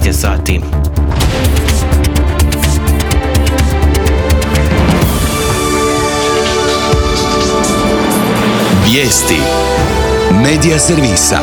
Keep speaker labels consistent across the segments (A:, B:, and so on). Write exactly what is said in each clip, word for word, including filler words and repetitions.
A: šesnaest je sati.
B: Vijesti Medija servisa.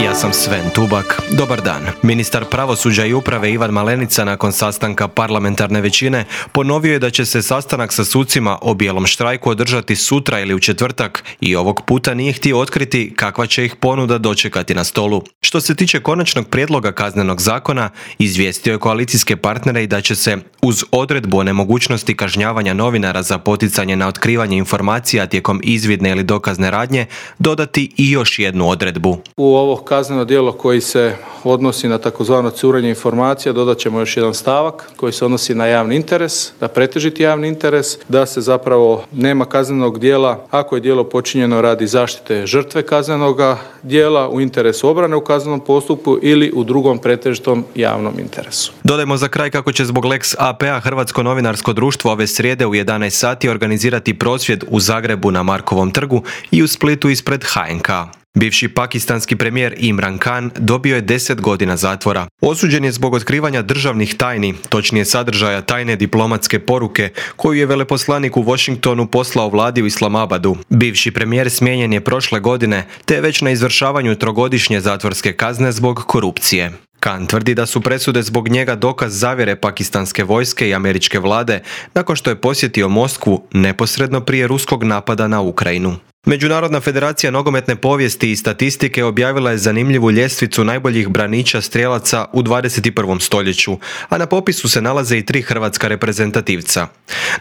A: Ja sam Sven Tubak. Dobar dan. Ministar pravosuđa i uprave Ivan Malenica nakon sastanka parlamentarne većine ponovio je da će se sastanak sa sucima o bijelom štrajku održati sutra ili u četvrtak i ovog puta nije htio otkriti kakva će ih ponuda dočekati na stolu. Što se tiče konačnog prijedloga kaznenog zakona, izvijestio je koalicijske partnere i da će se uz odredbu o nemogućnosti kažnjavanja novinara za poticanje na otkrivanje informacija tijekom izvidne ili dokazne radnje dodati i još jednu odredbu.
C: U ovo kazneno djelo koji se odnosi na takozvano curenje informacija dodat ćemo još jedan stavak koji se odnosi na javni interes, na pretežiti javni interes, da se zapravo nema kaznenog djela ako je djelo počinjeno radi zaštite žrtve kaznenoga djela u interesu obrane u kaznenom postupku ili u drugom pretežitom javnom interesu.
A: Dodajmo za kraj kako će zbog Lex A P-a Hrvatsko novinarsko društvo ove srijede u jedanaest sati organizirati prosvjed u Zagrebu na Markovom trgu i u Splitu ispred H N K. Bivši pakistanski premijer Imran Khan dobio je deset godina zatvora. Osuđen je zbog otkrivanja državnih tajni, točnije sadržaja tajne diplomatske poruke koju je veleposlanik u Washingtonu poslao vladi u Islamabadu. Bivši premijer smijenjen je prošle godine, te je već na izvršavanju trogodišnje zatvorske kazne zbog korupcije. Khan tvrdi da su presude zbog njega dokaz zavjere pakistanske vojske i američke vlade nakon što je posjetio Moskvu neposredno prije ruskog napada na Ukrajinu. Međunarodna federacija nogometne povijesti i statistike objavila je zanimljivu ljestvicu najboljih braniča strijelaca u dvadeset i prvom stoljeću, a na popisu se nalaze i tri hrvatska reprezentativca.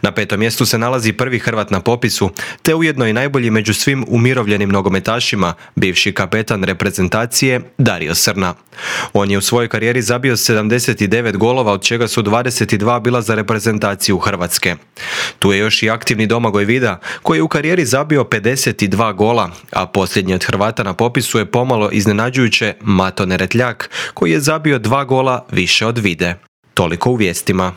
A: Na petom mjestu se nalazi prvi Hrvat na popisu, te ujedno i najbolji među svim umirovljenim nogometašima, bivši kapetan reprezentacije Dario Srna. On je u svojoj karijeri zabio sedamdeset devet golova, od čega su dvadeset dva bila za reprezentaciju Hrvatske. Tu je još i aktivni Domagoj Vida, koji je u karijeri zabio pedeset dva gola, a posljednji od Hrvata na popisu je pomalo iznenađujuće Mato Neretljak, koji je zabio dva gola više od Vide. Toliko u vijestima.